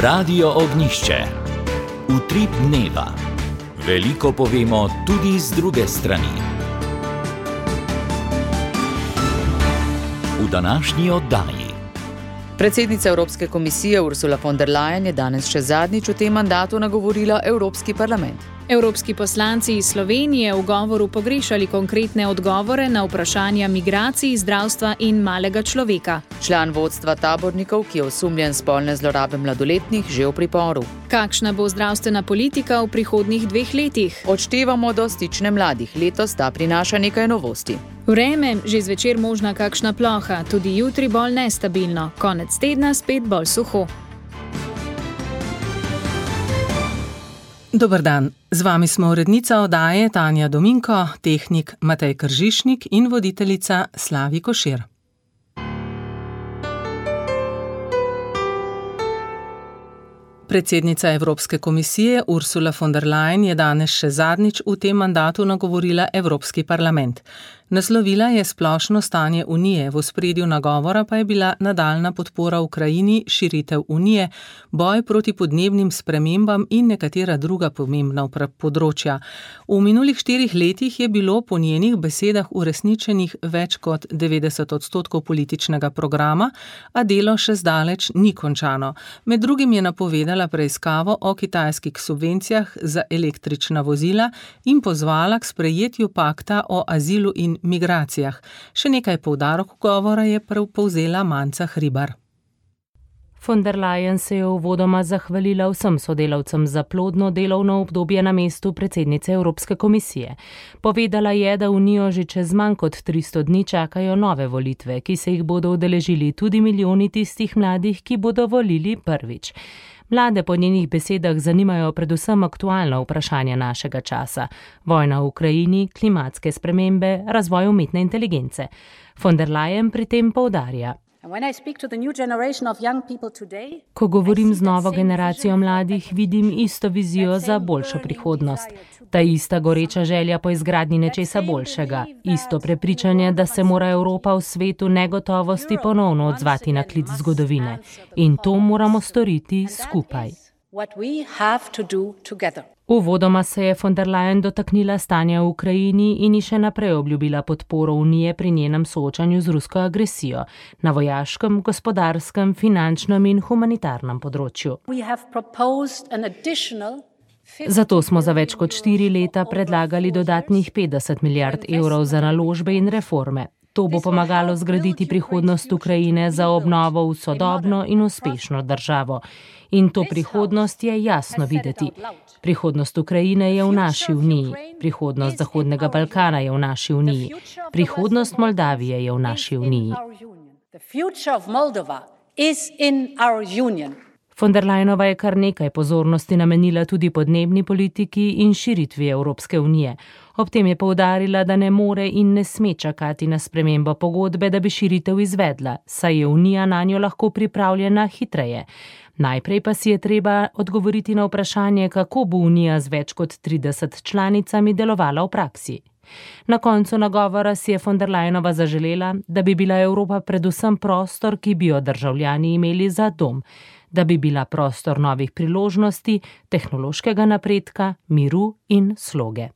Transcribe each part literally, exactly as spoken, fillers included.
Radio Ognišče. Utrip dneva. Veliko povemo tudi z druge strani. V današnji oddaji. Predsednica Evropske komisije Ursula von der Leyen je danes še zadnjič v tem mandatu nagovorila Evropski parlament. Evropski poslanci iz Slovenije v govoru pogrešali konkretne odgovore na vprašanja migracij, zdravstva in malega človeka. Član vodstva tabornikov, ki je osumljen spolne zlorabe mladoletnih, že v priporu. Kakšna bo zdravstvena politika v prihodnjih dveh letih? Odštevamo do stične mladih. Letos ta prinaša nekaj novosti. Vreme, že zvečer možna kakšna ploha, tudi jutri bolj nestabilno, konec tedna spet bolj suho. Dober dan, z vami smo urednica oddaje Tanja Dominko, tehnik Matej Kržišnik in voditeljica Slavi Košir. Predsednica Evropske komisije Ursula von der Leyen je danes še zadnjič v tem mandatu nagovorila Evropski parlament. Naslovila je splošno stanje Unije, v ospredju nagovora pa je bila nadaljna podpora Ukrajini, širitev Unije, boj proti podnebnim spremembam in nekatera druga pomembna področja. V minulih štirih letih je bilo po njenih besedah uresničenih več kot devetdeset odstotkov političnega programa, a delo še zdaleč ni končano. Med drugim je napovedala preiskavo o kitajskih subvencijah za električna vozila in pozvala k sprejetju pakta o azilu in migracijah. Še nekaj poudarok govora je povzela Manca Hribar. Von der Leyen se je uvodoma zahvalila vsem sodelavcem za plodno delovno obdobje na mestu predsednice Evropske komisije. Povedala je, da Unijo že čez manj kot tristo dni čakajo nove volitve, ki se jih bodo udeležili tudi milijoni tistih mladih, ki bodo volili prvič. Mlade po njenih besedah zanimajo predvsem aktualna vprašanja našega časa. Vojna v Ukrajini, klimatske spremembe, razvoj umetne inteligence. Von der Leyen pri tem poudarja. Ko govorim z novo generacijo mladih, vidim isto vizijo za boljšo prihodnost. Ta ista goreča želja po izgradnji nečesa boljšega. Isto prepričanje, da se mora Evropa v svetu negotovosti ponovno odzvati na klic zgodovine. In to moramo storiti skupaj. Uvodoma se je von der Leyen dotaknila stanja v Ukrajini in ji še naprej obljubila podporo Unije pri njenem soočanju z rusko agresijo na vojaškem, gospodarskem, finančnem in humanitarnem področju. Zato smo za več kot štiri leta predlagali dodatnih petdeset milijard evrov za naložbe in reforme. To bo pomagalo zgraditi prihodnost Ukrajine za obnovo v sodobno in uspešno državo. In to prihodnost je jasno videti. Prihodnost Ukrajine je v naši Uniji, prihodnost Zahodnega Balkana je v naši Uniji, prihodnost Moldavije je v naši Uniji. Von der Leyenova je kar nekaj pozornosti namenila tudi podnebni politiki in širitvi Evropske unije. Ob tem je poudarila, da ne more in ne sme čakati na spremembo pogodbe, da bi širitev izvedla, saj je Unija nanjo lahko pripravljena hitreje. Najprej pa si je treba odgovoriti na vprašanje, kako bo Unija z več kot trideset članicami delovala v praksi. Na koncu nagovora si je von der Leyenova zaželela, da bi bila Evropa predvsem prostor, ki bi jo državljani imeli za dom, da bi bila prostor novih priložnosti, tehnološkega napredka, miru in sloge.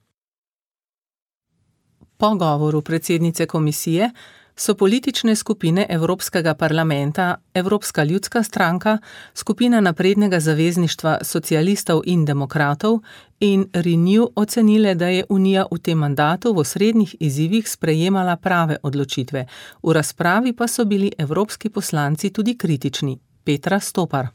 Po govoru predsednice komisije so politične skupine Evropskega parlamenta, Evropska ljudska stranka, skupina naprednega zavezništva socialistov in demokratov in Renew ocenile, da je Unija v tem mandatu v osrednjih izzivih sprejemala prave odločitve. V razpravi pa so bili evropski poslanci tudi kritični. Petra Stopar.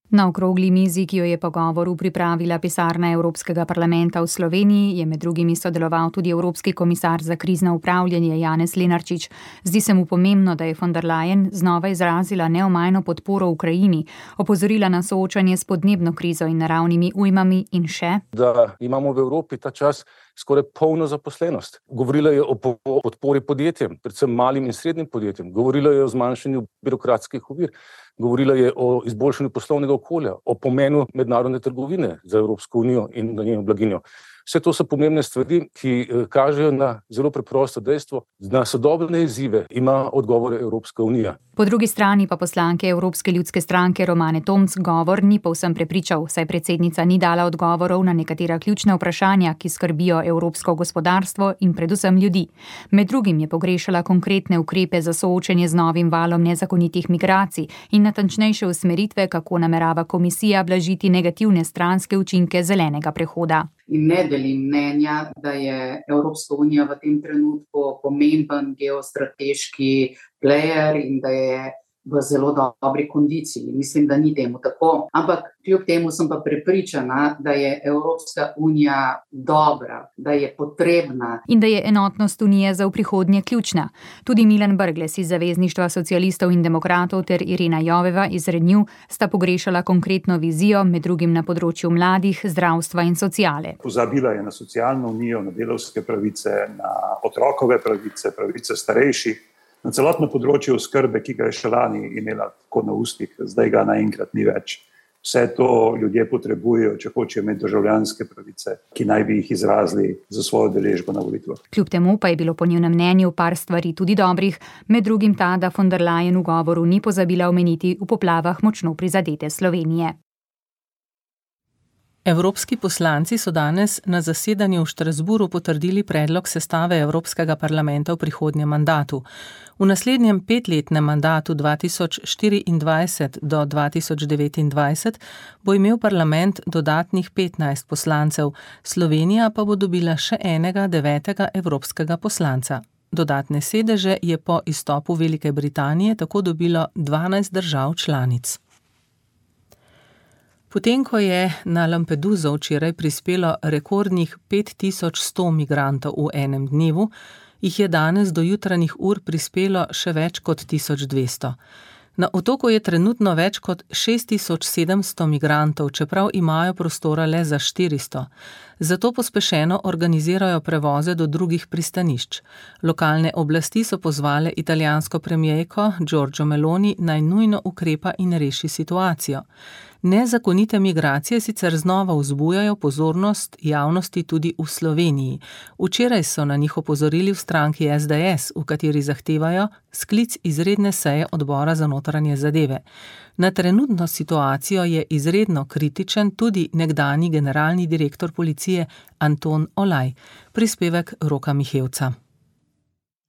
Na okrogli mizi, ki jo je po govoru pripravila pisarna Evropskega parlamenta v Sloveniji, je med drugimi sodeloval tudi Evropski komisar za krizno upravljanje Janez Lenarčič. Zdi se mu pomembno, da je von der Leyen znova izrazila neomajno podporo Ukrajini, opozorila na soočanje s podnebno krizo in naravnimi ujmami in še, da imamo v Evropi ta čas skoraj polno zaposlenost. Govorila je o podpori podjetjem, predvsem malim in srednjim podjetjem. Govorila je o zmanjšanju birokratskih ovir. Govorila je o izboljšanju poslovnega okolja, o pomenu mednarodne trgovine za Evropsko unijo in na njeno blaginjo. Vse to so pomembne stvari, ki kažejo na zelo preprosto dejstvo, da na sodobne izzive ima odgovore Evropska unija. Po drugi strani pa poslanke Evropske ljudske stranke Romane Tomc govor ni povsem prepričal, saj predsednica ni dala odgovorov na nekatera ključna vprašanja, ki skrbijo evropsko gospodarstvo in predvsem ljudi. Med drugim je pogrešala konkretne ukrepe za soočenje z novim valom nezakonitih migracij in natančnejše usmeritve, kako namerava komisija blažiti negativne stranske učinke zelenega prehoda. In ne delim mnenja, da je Evropska unija v tem trenutku pomemben geostrateški player in da je v zelo dobri kondiciji. Mislim, da ni temu tako. Ampak kljub temu sem pa prepričana, da je Evropska unija dobra, da je potrebna. In da je enotnost unije za v prihodnje ključna. Tudi Milan Brglez iz Zavezništva socialistov in demokratov ter Irena Joveva iz Renew sta pogrešala konkretno vizijo, med drugim na področju mladih, zdravstva in sociale. Pozabila je na socialno unijo, na delavske pravice, na otrokove pravice, pravice starejših, na celotno področje oskrbe, ki ga je še lani imela tako na ustih, zdaj ga naenkrat ni več. Vse to ljudje potrebujejo, če hočejo imeti državljanske pravice, ki naj bi jih izrazili za svojo deležbo na volitvah. Kljub temu pa je bilo po njenem mnenju par stvari tudi dobrih, med drugim ta, da von der Leyen v govoru ni pozabila omeniti v poplavah močno prizadete Slovenije. Evropski poslanci so danes na zasedanju v Štrasburu potrdili predlog sestave Evropskega parlamenta v prihodnjem mandatu. V naslednjem petletnem mandatu dva tisoč štiriindvajset do dva tisoč devetindvajset bo imel parlament dodatnih petnajst poslancev, Slovenija pa bo dobila še enega devetega evropskega poslanca. Dodatne sedeže je po izstopu Velike Britanije tako dobilo dvanajst držav članic. Potem, ko je na Lampeduso včeraj prispelo rekordnih pet tisoč sto migrantov v enem dnevu, jih je danes do jutranjih ur prispelo še več kot tisoč dvesto. Na otoku je trenutno več kot šest tisoč sedemsto migrantov, čeprav imajo prostora le za štiristo. Zato pospešeno organizirajo prevoze do drugih pristanišč. Lokalne oblasti so pozvale italijansko premierko Giorgio Meloni naj nujno ukrepa in reši situacijo. Nezakonite migracije sicer znova vzbujajo pozornost javnosti tudi v Sloveniji. Včeraj so na njih opozorili v stranki S D S, v kateri zahtevajo sklic izredne seje odbora za notranje zadeve. Na trenutno situacijo je izredno kritičen tudi nekdanji generalni direktor policije Anton Olaj. Prispevek Roka Mihevca.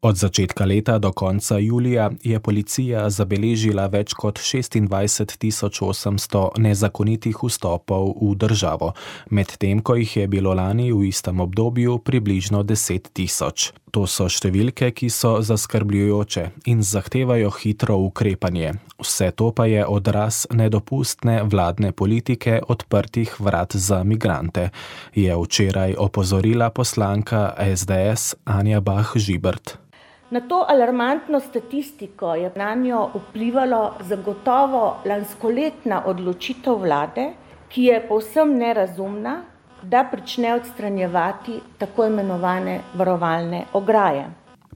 Od začetka leta do konca julija je policija zabeležila več kot šestindvajset tisoč osemsto nezakonitih vstopov v državo, medtem ko jih je bilo lani v istem obdobju približno deset tisoč. To so številke, ki so zaskrbljujoče in zahtevajo hitro ukrepanje. Vse to pa je odraz nedopustne vladne politike odprtih vrat za migrante, je včeraj opozorila poslanka S D S Anja Bah Žibert. Na to alarmantno statistiko je nanjo vplivalo zagotovo lanskoletna odločitev vlade, ki je povsem nerazumna, da prične odstranjevati tako imenovane varovalne ograje.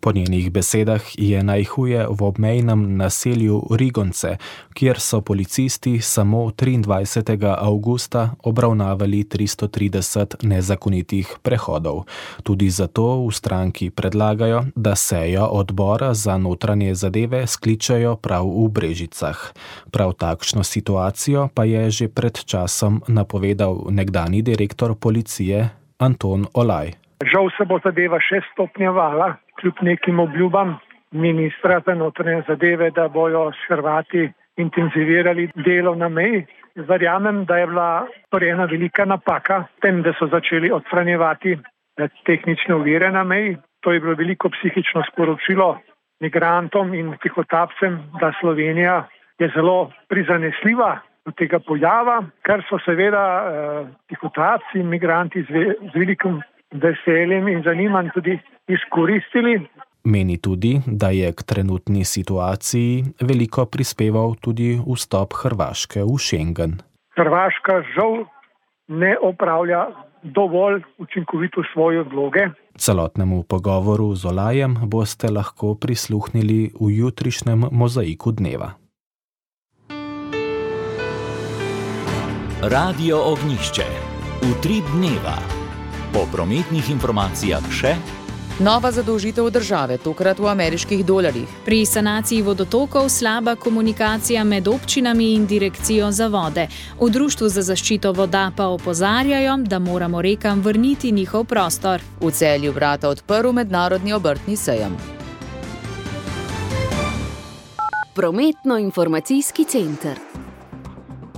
Po njenih besedah je najhuje v obmejnem naselju Rigonce, kjer so policisti samo triindvajsetega avgusta obravnavali tristo trideset nezakonitih prehodov. Tudi zato v stranki predlagajo, da sejo odbora za notranje zadeve skličajo prav v Brežicah. Prav takšno situacijo pa je že pred časom napovedal nekdanji direktor policije Anton Olaj. Žal se bo zadeva še stopnjevala, kljub nekim obljubam ministra za notranje zadeve, da bojo s Hrvati intenzivirali delo na meji. Verjamem, da je bila storjena velika napaka s tem, da so začeli odstranjevati tehnične ovire na meji. To je bilo veliko psihično sporočilo migrantom in tihotapcem, da Slovenija je zelo prizanesljiva do tega pojava, kar so seveda eh, tihotapci in migranti z, ve, z velikim veseljem in zanimanjem tudi izkoristili. Meni tudi, da je k trenutni situaciji veliko prispeval tudi vstop Hrvaške v Schengen. Hrvaška žal ne opravlja dovolj učinkovito svoje vloge. Celotnemu pogovoru z Olajem boste lahko prisluhnili v jutrišnjem mozaiku dneva. Radio Ognjišče. Utrip dneva. Po prometnih informacijah še nova zadolžitev države, tokrat v ameriških dolarjih. Pri sanaciji vodotokov slaba komunikacija med občinami in direkcijo za vode. V Društvu za zaščito voda pa opozarjajo, da moramo rekam vrniti njihov prostor. V Celju vrata odprl mednarodni obrtni sejem. Prometno-informacijski center.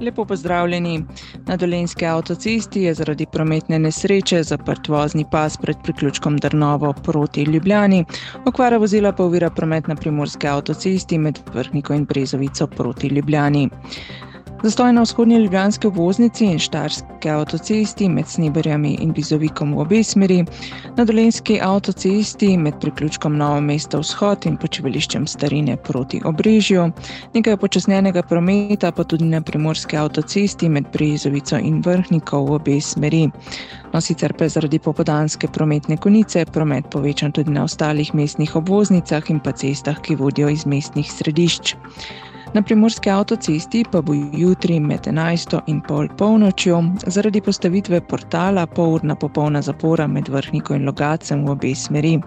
Lepo pozdravljeni. Na Dolenjski avtocesti je zaradi prometne nesreče zaprt vozni pas pred priključkom Drnovo proti Ljubljani. Okvara vozila pa ovira promet na Primorski avtocesti med Vrhniko in Brezovico proti Ljubljani. Zastoj na vzhodnji ljubljanski obvoznici in Štajerski avtocesti med Sneberjami in Bizovikom v obe smeri, na Dolenjski avtocesti med priključkom Novo mesto vzhod in počivališčem Starine proti Obrežju, nekaj počasnjenega prometa pa tudi na Primorski avtocesti med Brezovico in Vrhniko v obe smeri. No, sicer pa je zaradi popoldanske prometne konice promet povečan tudi na ostalih mestnih obvoznicah in pa cestah, ki vodijo iz mestnih središč. Na Primorski avtocesti pa bo jutri med enajsto in pol polnočjo zaradi postavitve portala polurna popolna zapora med Vrhniko in Logatcem v obe smeri.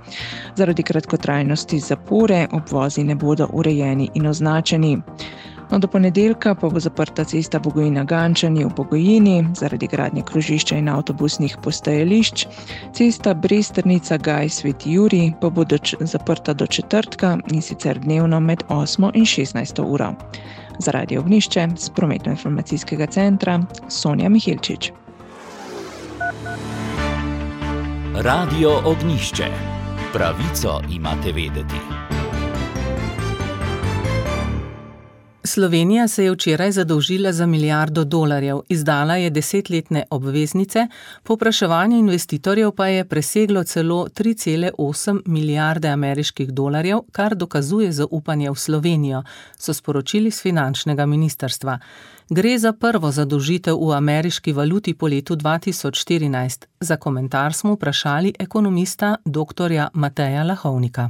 Zaradi kratkotrajnosti zapore obvozi ne bodo urejeni in označeni. No, do ponedeljka pa bo zaprta cesta Bogojina-Gančani v Bogojini zaradi gradnje krožišča in avtobusnih postajališč. Cesta Bresternica-Gaj Sveti Jurij pa bo do, zaprta do četrtka in sicer dnevno med osmo in šestnajsto uro. Za Radio Ognjišče z Prometno-informacijskega centra Sonja Mihilčič. Radio Ognjišče. Pravico imate vedeti. Slovenija se je včeraj zadolžila za milijardo dolarjev, izdala je desetletne obveznice, povpraševanje investitorjev pa je preseglo celo tri cele osem milijarde ameriških dolarjev, kar dokazuje zaupanje v Slovenijo, so sporočili z finančnega ministrstva. Gre za prvo zadolžitev v ameriški valuti po letu dva tisoč štirinajst. Za komentar smo vprašali ekonomista doktorja Mateja Lahovnika.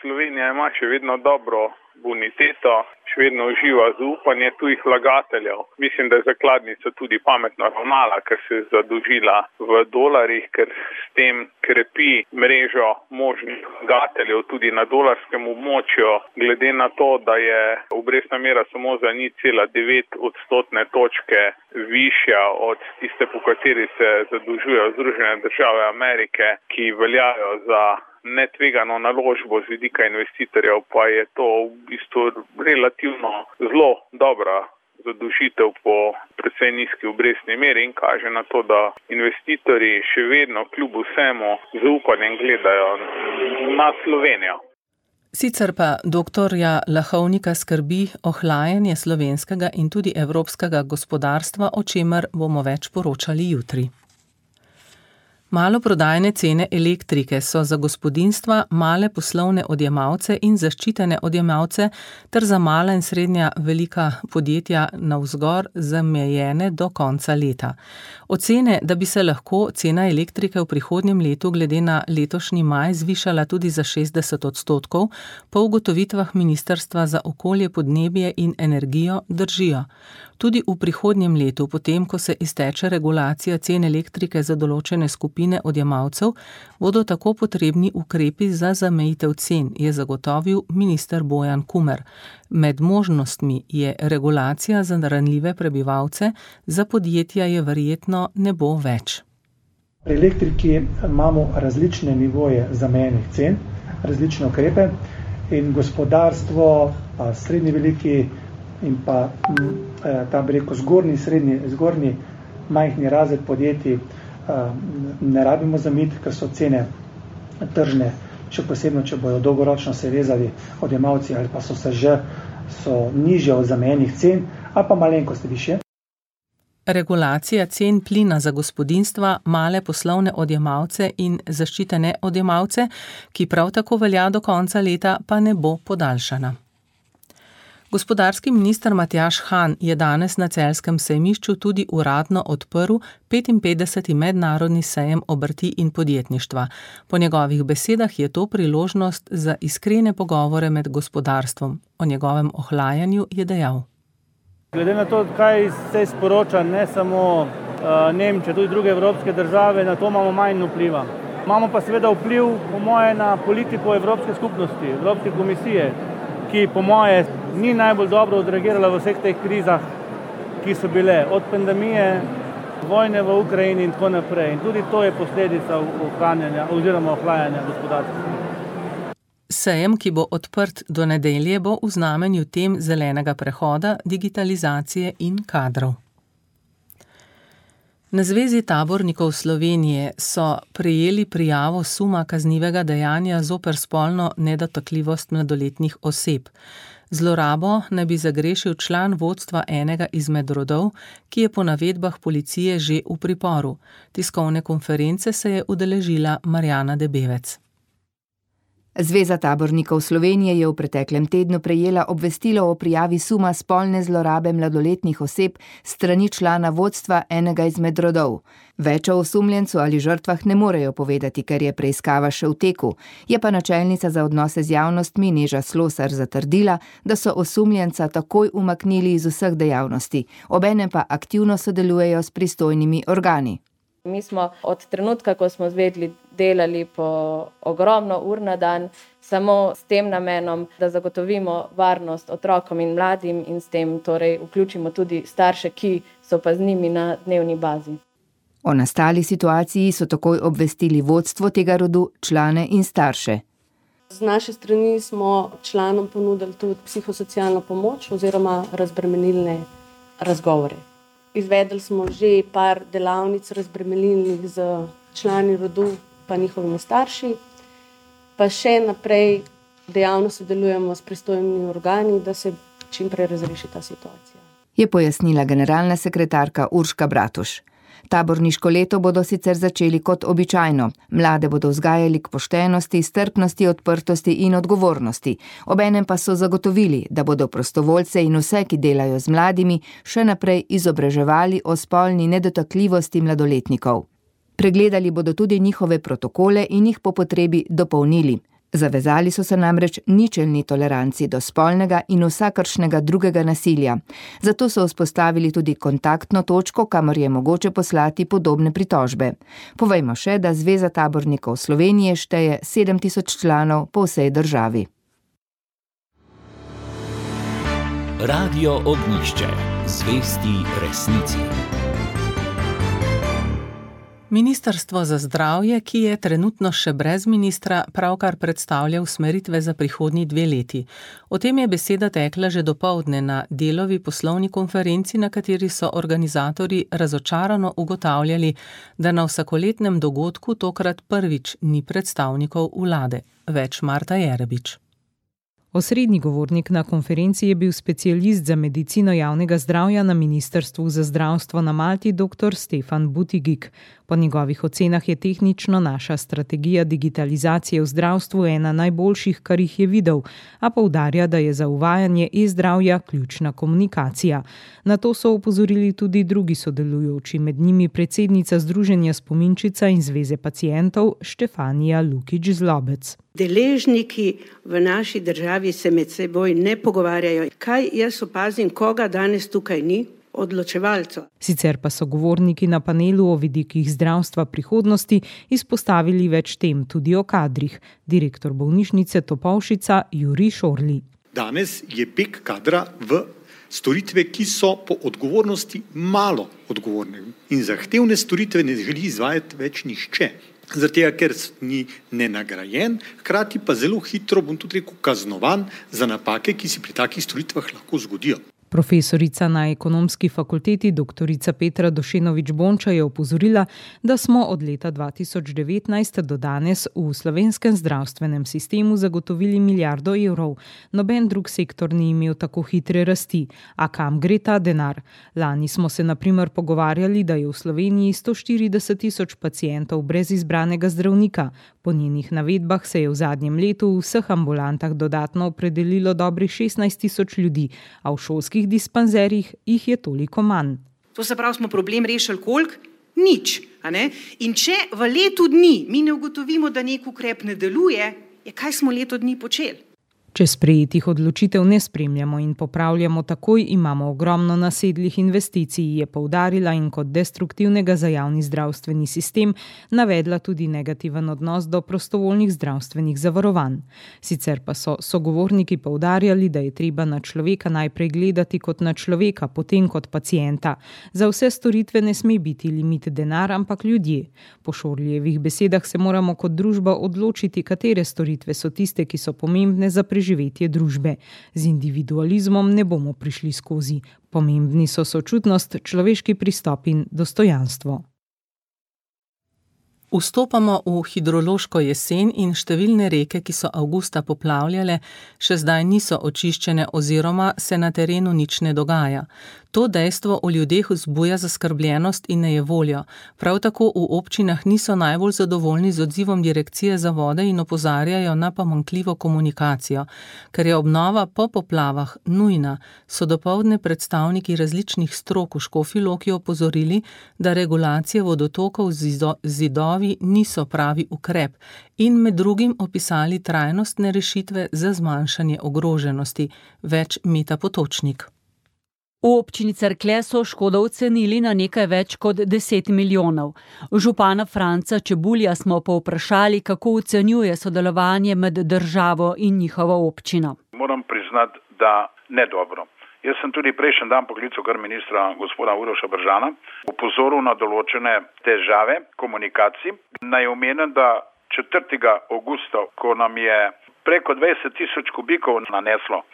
Slovenija ima še vedno dobro boniteto, še vedno uživa zaupanje tujih vlagateljev. Mislim, da je zakladnica tudi pametno ravnala, ker se je zadolžila v dolarjih, ker s tem krepi mrežo možnih vlagateljev tudi na dolarskem območju. Glede na to, da je obrestna mera samo za nič cela devet odstotne točke višja od tiste, po kateri se zadolžujejo Združene države Amerike, ki veljajo za netvegano naložbo z vidika investitorjev, pa je to v bistvu relativno zelo dobra zadolžitev po precej nizki obrestni meri in kaže na to, da investitorji še vedno kljub vsemu zaupanjem gledajo na Slovenijo. Sicer pa doktorja Lahovnika skrbi ohlajanje slovenskega in tudi evropskega gospodarstva, o čemer bomo več poročali jutri. Maloprodajne cene elektrike so za gospodinjstva, male poslovne odjemalce in zaščitene odjemalce ter za mala in srednja velika podjetja navzgor zamejene do konca leta. Ocene, da bi se lahko cena elektrike v prihodnjem letu glede na letošnji maj zvišala tudi za šestdeset odstotkov, po ugotovitvah Ministrstva za okolje, podnebje in energijo držijo. Tudi v prihodnjem letu, potem ko se izteče regulacija cen elektrike za določene skupine odjemalcev, bodo tako potrebni ukrepi za zamejitev cen, je zagotovil minister Bojan Kumer. Med možnostmi je regulacija za ranljive prebivalce, za podjetja je verjetno ne bo več. Pri elektriki imamo različne nivoje zamejenih cen, različne ukrepe in gospodarstvo, pa srednji veliki in pa ta bi rekel zgornji, srednji, zgornji majhni razred podjetij ne rabimo zamiti, ker so cene tržne, še posebno, če bodo dolgoročno se vezali odjemalci ali pa so se že so nižje od zamejenih cen, ali pa malenkost višje. Regulacija cen plina za gospodinjstva, male poslovne odjemalce in zaščitene odjemalce, ki prav tako velja do konca leta, pa ne bo podaljšana. Gospodarski minister Matjaž Han je danes na celjskem sejmišču tudi uradno odprl petinpetdeseti mednarodni sejem obrti in podjetništva. Po njegovih besedah je to priložnost za iskrene pogovore med gospodarstvom. O njegovem ohlajanju je dejal. Glede na to, kaj se sporoča ne samo Nemčija, tudi druge evropske države, na to imamo manj vpliva. Imamo pa seveda vpliv, po moje, na politiko Evropske skupnosti, Evropske komisije, ki po moje ni najbolj dobro odreagirala v vseh teh krizah, ki so bile od pandemije, vojne v Ukrajini in tako naprej. In tudi to je posledica ohranjanja oziroma ohlajanja gospodarstva. Sejem, ki bo odprt do nedelje, bo v znamenju tem zelenega prehoda, digitalizacije in kadrov. Na Zvezi tabornikov Slovenije so prejeli prijavo suma kaznivega dejanja zoper spolno nedotakljivost mladoletnih oseb. Zlorabo naj bi zagrešil član vodstva enega izmed rodov, ki je po navedbah policije že v priporu. Tiskovne konference se je udeležila Marjana Debevec. Zveza tabornikov Slovenije je v preteklem tednu prejela obvestilo o prijavi suma spolne zlorabe mladoletnih oseb strani člana vodstva enega izmed rodov. Več o osumljencu ali žrtvah ne morejo povedati, ker je preiskava še v teku. Je pa načelnica za odnose z javnostmi Neža Slosar zatrdila, da so osumljenca takoj umaknili iz vseh dejavnosti, obenem pa aktivno sodelujejo s pristojnimi organi. Mi smo od trenutka, ko smo zvedli, delali po ogromno ur na dan, samo s tem namenom, da zagotovimo varnost otrokom in mladim in s tem torej vključimo tudi starše, ki so pa z njimi na dnevni bazi. O nastali situaciji so takoj obvestili vodstvo tega rodu, člane in starše. Z naše strani smo članom ponudili tudi psihosocialno pomoč oziroma razbremenilne razgovore. Izvedli smo že par delavnic razbremenilnih z člani rodu pa njihovimi starši, pa še naprej dejavno sodelujemo s pristojnimi organi, da se čim prej razreši ta situacija. Je pojasnila generalna sekretarka Urška Bratuš. Taborniško leto bodo sicer začeli kot običajno. Mlade bodo vzgajali k poštenosti, strpnosti, odprtosti in odgovornosti. Obenem pa so zagotovili, da bodo prostovoljce in vse, ki delajo z mladimi, še naprej izobraževali o spolni nedotakljivosti mladoletnikov. Pregledali bodo tudi njihove protokole in jih po potrebi dopolnili. Zavezali so se namreč ničelni toleranci do spolnega in vsakršnega drugega nasilja. Zato so vzpostavili tudi kontaktno točko, kamor je mogoče poslati podobne pritožbe. Povejmo še, da Zveza tabornikov Slovenije šteje sedem tisoč članov po vsej državi. Radio Ognjišče. Zvesti resnici. Ministrstvo za zdravje, ki je trenutno še brez ministra, pravkar predstavlja usmeritve za prihodnji dve leti. O tem je beseda tekla že dopoldne na Delovi poslovni konferenci, na kateri so organizatorji razočarano ugotavljali, da na vsakoletnem dogodku tokrat prvič ni predstavnikov vlade. Več Marta Jerebič. Osrednji govornik na konferenci je bil specialist za medicino javnega zdravja na Ministrstvu za zdravstvo na Malti dr. Stefan Butigik. Po njegovih ocenah je tehnično naša strategija digitalizacije v zdravstvu ena najboljših, kar jih je videl, a poudarja, da je za uvajanje e-zdravja ključna komunikacija. Na to so opozorili tudi drugi sodelujoči, med njimi predsednica Združenja Spominčica in Zveze pacientov Štefanija Lukič-Zlobec. Deležniki v naši državi se med seboj ne pogovarjajo. Kaj jaz opazim, koga danes tukaj ni? Odločevalcev. Sicer pa so govorniki na panelu o vidikih zdravstva prihodnosti izpostavili več tem, tudi o kadrih. Direktor bolnišnice Topolšica Jurij Šorli. Danes je beg kadra v storitve, ki so po odgovornosti malo odgovorne in zahtevne storitve ne želi izvajati več nihče. Zaradi tega, ker ni nenagrajen, hkrati pa zelo hitro, bom tudi rekel, kaznovan za napake, ki si pri takih storitvah lahko zgodijo. Profesorica na ekonomski fakulteti doktorica Petra Došenovič-Bonča je opozorila, da smo od leta dva tisoč devetnajst do danes v slovenskem zdravstvenem sistemu zagotovili milijardo evrov. Noben drug sektor ni imel tako hitre rasti. A kam gre ta denar? Lani smo se na primer pogovarjali, da je v Sloveniji sto štirideset tisoč pacientov brez izbranega zdravnika. Po njenih navedbah se je v zadnjem letu v vseh ambulantah dodatno opredelilo dobrih šestnajst tisoč ljudi, a v šolskih dispanzerjih jih je toliko manj. To se pravi, smo problem rešili koliko? Nič. A ne? In če v letu dni mi ne ugotovimo, da nek ukrep ne deluje, je kaj smo leto dni počeli? Če sprejetih odločitev ne spremljamo in popravljamo takoj, imamo ogromno nasedlih investicij, je poudarila in kot destruktivnega za javni zdravstveni sistem navedla tudi negativen odnos do prostovoljnih zdravstvenih zavarovanj. Sicer pa so sogovorniki poudarjali, da je treba na človeka najprej gledati kot na človeka, potem kot pacienta. Za vse storitve ne sme biti limit denar, ampak ljudje. Po Šorlijevih besedah se moramo kot družba odločiti, katere storitve so tiste, ki so pomembne za preživetje družbe. Z individualizmom ne bomo prišli skozi. Pomembni so sočutnost, človeški pristop in dostojanstvo. Vstopamo v hidrološko jesen in številne reke, ki so avgusta poplavljale, še zdaj niso očiščene oziroma se na terenu nič ne dogaja. To dejstvo v ljudeh vzbuja zaskrbljenost in nejevoljo. Prav tako v občinah niso najbolj zadovoljni z odzivom Direkcije za vode in opozarjajo na pomanjkljivo komunikacijo. Ker je obnova po poplavah nujna, so dopoldne predstavniki različnih strok v Škofji Loki opozorili, da regulacije vodotokov z zidovi niso pravi ukrep in med drugim opisali trajnostne rešitve za zmanjšanje ogroženosti. Več Meta Potočnik. V občini Cerklje so škodo ocenili na nekaj več kot deset milijonov. Župana Franca Čebulja smo povprašali, kako ocenjuje sodelovanje med državo in njihovo občino. Moram priznati, da ne dobro. Jaz sem tudi prejšnji dan poklical kar ministra gospoda Uroša Bržana, opozoril na določene težave komunikacij. Naj omenim, da četrtega avgusta, ko nam je preko dvajset tisoč kubikov naneslo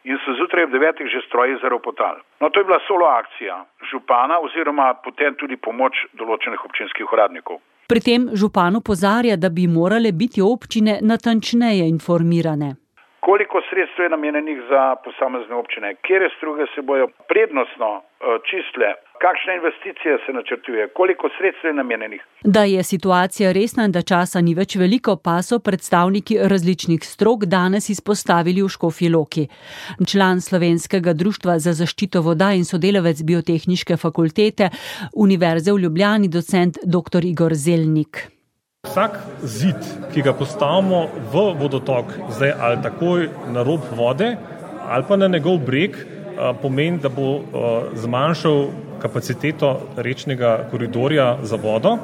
in so zjutraj ob devetih že stroji zaropotali. No, to je bila solo akcija župana oziroma potem tudi pomoč določenih občinskih uradnikov. Pri tem župan opozarja, da bi morale biti občine natančneje informirane. Koliko sredstev je namenjenih za posamezne občine, kjer struge se bojo prednostno čistile, kakšne investicije se načrtuje, koliko sredstev je namenjenih. Da je situacija resna in da časa ni več veliko, pa so predstavniki različnih strok danes izpostavili v Škofji Loki. Član Slovenskega društva za zaščito voda in sodelavec Biotehniške fakultete Univerze v Ljubljani, docent doktor Igor Zelnik. Vsak zid, ki ga postavimo v vodotok, zdaj ali takoj na rob vode ali pa na njegov breg, pomeni, da bo zmanjšal kapaciteto rečnega koridorja za vodo.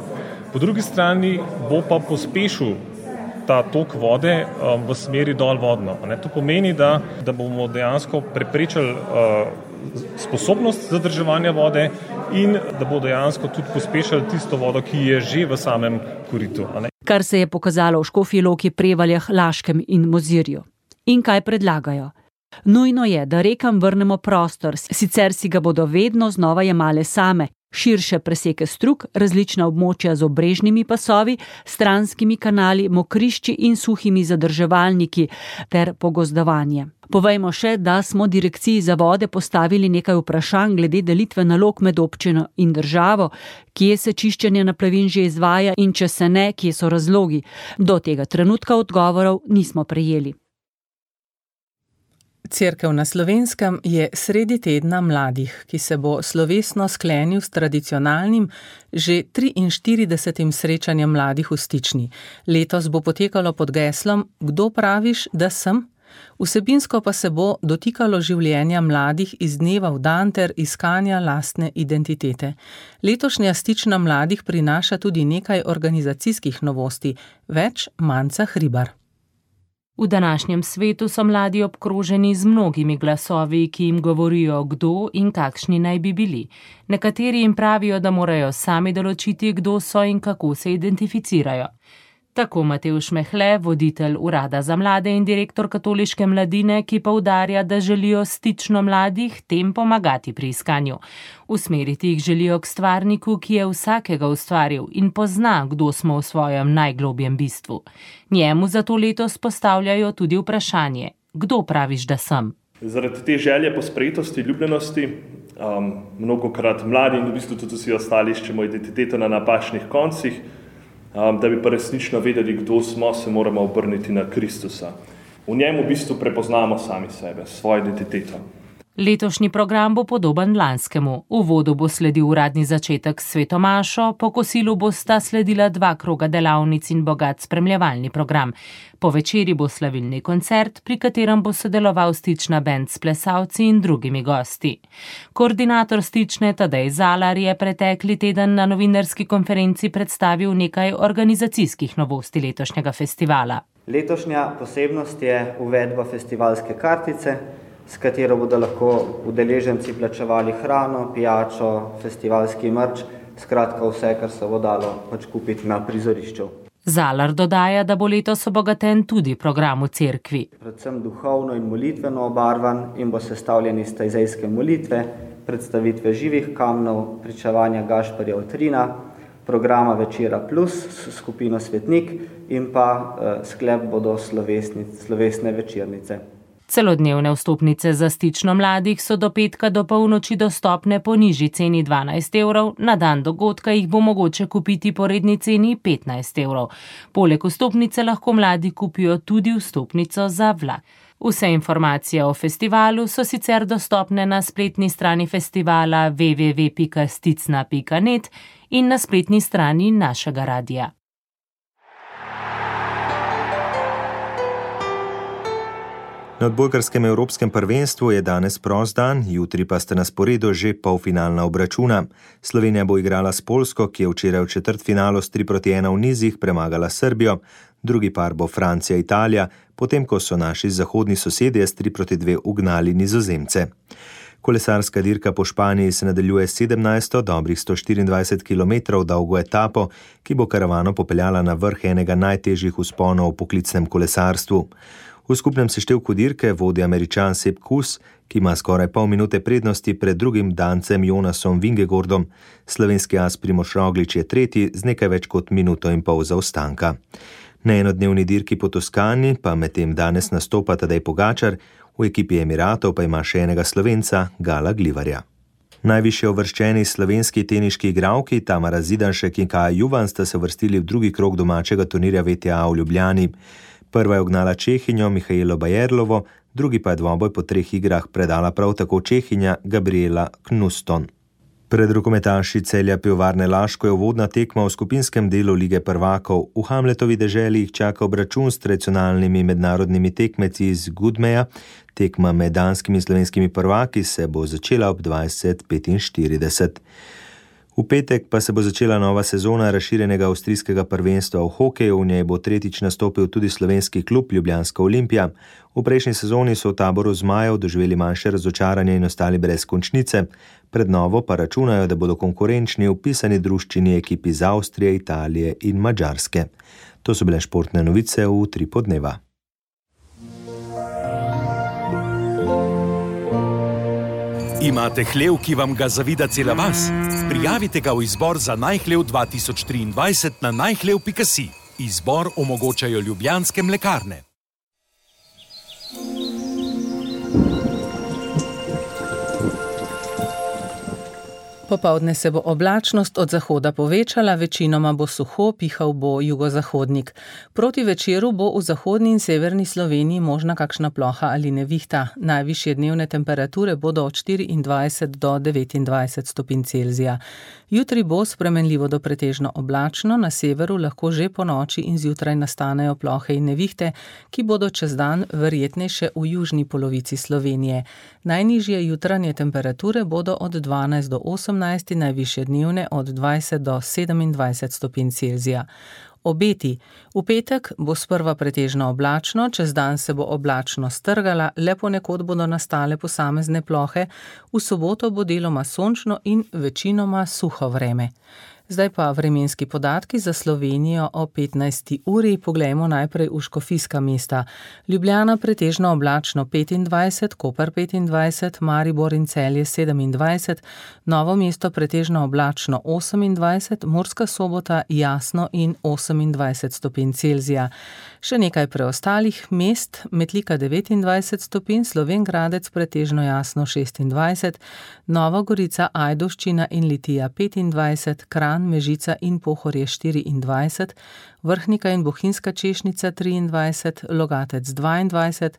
Po drugi strani bo pa pospešil ta tok vode v smeri dol vodno. To pomeni, da, da bomo dejansko preprečili sposobnost zadrževanja vode in da bo dejansko tudi pospešili tisto vodo, ki je že v samem koritu. Kar se je pokazalo v Škofji Loki, Prevaljah, Laškem in Mozirju. In kaj predlagajo? Nujno je, da rekam vrnemo prostor, sicer si ga bodo vedno znova jemale same. Širše preseke strug, različna območja z obrežnimi pasovi, stranskimi kanali, mokrišči in suhimi zadrževalniki ter pogozdovanje. Povejmo še, da smo Direkciji za vode postavili nekaj vprašanj glede delitve nalog med občino in državo, kje se čiščenje naplavin že izvaja in če se ne, kje so razlogi. Do tega trenutka odgovorov nismo prejeli. Cerkev na Slovenskem je sredi tedna mladih, ki se bo slovesno sklenil s tradicionalnim, že triinštiridesetim srečanjem mladih v Stični. Letos bo potekalo pod geslom Kdo praviš, da sem? Vsebinsko pa se bo dotikalo življenja mladih iz dneva v dan ter iskanja lastne identitete. Letošnja Stična mladih prinaša tudi nekaj organizacijskih novosti. Več Manca Hribar. V današnjem svetu so mladi obkroženi z mnogimi glasovi, ki jim govorijo, kdo in kakšni naj bi bili. Nekateri jim pravijo, da morajo sami določiti, kdo so in kako se identificirajo. Tako Matevž Mehle, voditelj Urada za mlade in direktor Katoliške mladine, ki poudarja, da želijo Stično mladih tem pomagati pri iskanju. Usmeriti jih želijo k stvarniku, ki je vsakega ustvaril in pozna, kdo smo v svojem najglobjem bistvu. Njemu zato letos postavljajo tudi vprašanje, kdo praviš, da sem? Zaradi te želje po sprejetosti, ljubljenosti, um, mnogokrat mladi in v bistvu tudi vsi ostali iščemo identiteto na napačnih koncih, um, da bi pa resnično vedeli, kdo smo, se moramo obrniti na Kristusa. V njem v bistvu prepoznamo sami sebe, svojo identiteto. Letošnji program bo podoben lanskemu. V uvodu bo sledil uradni začetek s svetomašo, po kosilu bosta sledila dva kroga delavnic in bogat spremljevalni program. Po večeri bo slavilni koncert, pri katerem bo sodeloval Stična bend s plesalci in drugimi gosti. Koordinator Stične Tadej Zalar je pretekli teden na novinarski konferenci predstavil nekaj organizacijskih novosti letošnjega festivala. Letošnja posebnost je uvedba festivalske kartice, s katero bodo lahko udeleženci plačevali hrano, pijačo, festivalski mrč, skratka vse, kar se bo dalo pač kupiti na prizorišču. Zalar dodaja, da bo letos obogaten tudi program v cerkvi. Predvsem duhovno in molitveno obarvan in bo sestavljen iz tajzejske molitve, predstavitve živih kamnov, pričevanja Gašperja Utrina, programa Večera plus s skupino Svetnik in pa eh, sklep bodo slovesne večernice. Celodnevne vstopnice za Stično mladih so do petka do polnoči dostopne po nižji ceni dvanajst evrov, na dan dogodka jih bo mogoče kupiti po redni ceni petnajst evrov. Poleg vstopnice lahko mladi kupijo tudi vstopnico za vlak. Vse informacije o festivalu so sicer dostopne na spletni strani festivala w w w pika sticna pika net in na spletni strani našega radia. Na odbojkarskem evropskem prvenstvu je danes prost dan, jutri pa sta na sporedu že polfinalna obračuna. Slovenija bo igrala s Poljsko, ki je včeraj v četrtfinalu s tri proti ena v nizih premagala Srbijo, drugi par bo Francija-Italija, potem ko so naši zahodni sosedje s tri proti dve ugnali Nizozemce. Kolesarska dirka po Španiji se nadaljuje sedemnajsto, dobrih sto štiriindvajset kilometrov dolgo etapo, ki bo karavano popeljala na vrh enega najtežjih vzponov v poklicnem kolesarstvu. V skupnem seštevku dirke vodi Američan Sepp Kuss, ki ima skoraj pol minute prednosti pred drugim Dancem Jonasom Vingegordom. Slovenski as Primož Roglič je tretji z nekaj več kot minuto in pol zaostanka. Na enodnevni dirki po Toskani pa medtem danes nastopa Tadej Pogačar, v ekipi Emiratov pa ima še enega Slovenca, Gala Glivarja. Najvišje uvrščeni slovenski teniški igralki Tamara Zidanšek in Kaja Juvan sta se uvrstili v drugi krog domačega turnirja V T A v Ljubljani. Prva je ugnala Čehinjo Mihaelo Bajerlovo, drugi pa je dvoboj po treh igrah predala prav tako Čehinja Gabriela Knuston. Pred rokometaši Celja Pivovarne Laško je uvodna tekma v skupinskem delu Lige prvakov. V Hamletovi deželi jih čaka obračun s tradicionalnimi mednarodnimi tekmeci iz Gudmeja. Tekma med danskimi in slovenskimi prvaki se bo začela ob dvajset petinštirideset. V petek pa se bo začela nova sezona razširjenega avstrijskega prvenstva v hokeju, v njej bo tretjič nastopil tudi slovenski klub Ljubljanska Olimpija. V prejšnji sezoni so v taboru zmajev doživeli manjše razočaranje in ostali brez končnice, pred novo pa računajo, da bodo konkurenčni v pisani druščini ekipi iz Avstrije, Italije in Madžarske. To so bile športne novice v Utripu dneva. Imate hlev, ki vam ga zavida cela vas? Prijavite ga v izbor za najhlev dva tisoč triindvajset na najhlev pika si. Izbor omogočajo Ljubljanske mlekarne. Popoldne se bo oblačnost od zahoda povečala, večinoma bo suho, pihal bo jugozahodnik. Proti večeru bo v zahodni in severni Sloveniji možna kakšna ploha ali nevihta. Najvišje dnevne temperature bodo od štiriindvajset do devetindvajset stopinj Celzija. Jutri bo spremenljivo do pretežno oblačno, na severu lahko že po noči in zjutraj nastanejo plohe in nevihte, ki bodo čez dan verjetnejše v južni polovici Slovenije. Najnižje jutranje temperature bodo od dvanajst do osemnajst, najvišje dnevne od dvajset do sedemindvajset stopinj Celzija. Obeti. V petek bo sprva pretežno oblačno, čez dan se bo oblačno strgala, le ponekod bodo nastale posamezne plohe, v soboto bo deloma sončno in večinoma suho vreme. Zdaj pa vremenski podatki za Slovenijo o petnajsti uri. Poglejmo najprej v škofijska mesta. Ljubljana pretežno oblačno petindvajset, Koper petindvajset, Maribor in Celje sedemindvajset, Novo mesto pretežno oblačno osemindvajset, Murska Sobota jasno in osemindvajset stopinj Celzija. Še nekaj preostalih mest, Metlika devetindvajset stopinj, Slovenj Gradec pretežno jasno šestindvajset, Nova Gorica, Ajdovščina in Litija petindvajset, Kranj Piran, Mežica in Pohorje štiriindvajset, Vrhnika in Bohinjska Češnica triindvajset, Logatec dvaindvajset,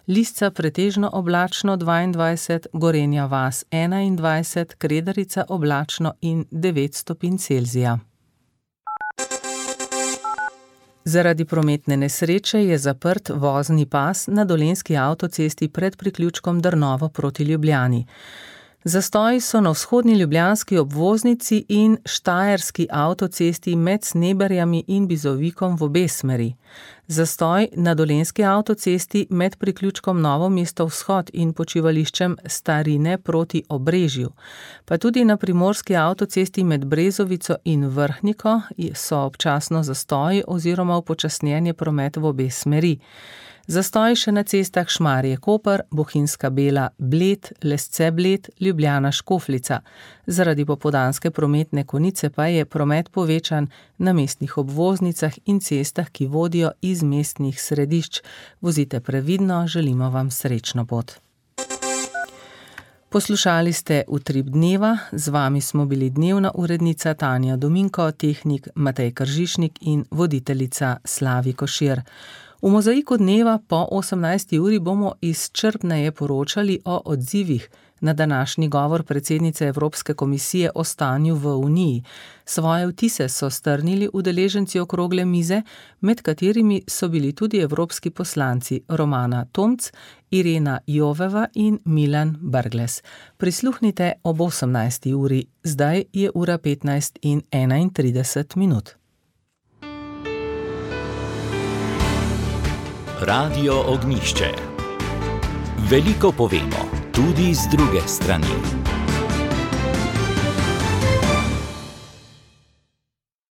Lisca pretežno oblačno dvaindvajset, Gorenja vas enaindvajset, Kredarica oblačno in devet stopinj Celzija. Zaradi prometne nesreče je zaprt vozni pas na dolenjski avtocesti pred priključkom Drnovo proti Ljubljani. Zastoji so na vzhodni ljubljanski obvoznici in štajerski avtocesti med Sneberjami in Bizovikom v obe smeri. Zastoj na dolenjski avtocesti med priključkom Novo mesto vzhod in počivališčem Starine proti Obrežju. Pa tudi na primorski avtocesti med Brezovico in Vrhniko so občasno zastoji oziroma upočasnjen je promet v obe smeri. Zastoj še na cestah Šmarje-Koper, Bohinjska Bela, Bled, Lesce-Bled, Ljubljana-Škofljica. Zaradi popoldanske prometne konice pa je promet povečan na mestnih obvoznicah in cestah, ki vodijo iz mestnih središč. Vozite previdno, želimo vam srečno pot. Poslušali ste Utrip dneva, z vami smo bili dnevna urednica Tanja Dominko, tehnik Matej Kržišnik in voditeljica Slavi Košir. V Mozaiku dneva po osemnajsti uri bomo izčrpneje poročali o odzivih na današnji govor predsednice Evropske komisije o stanju v Uniji. Svoje vtise so strnili udeleženci okrogle mize, med katerimi so bili tudi evropski poslanci Romana Tomc, Irena Joveva in Milan Brglez. Prisluhnite ob osemnajsti uri, zdaj je ura petnajst in enaintrideset minut. Radio Ognjišče. Veliko povemo, tudi z druge strani.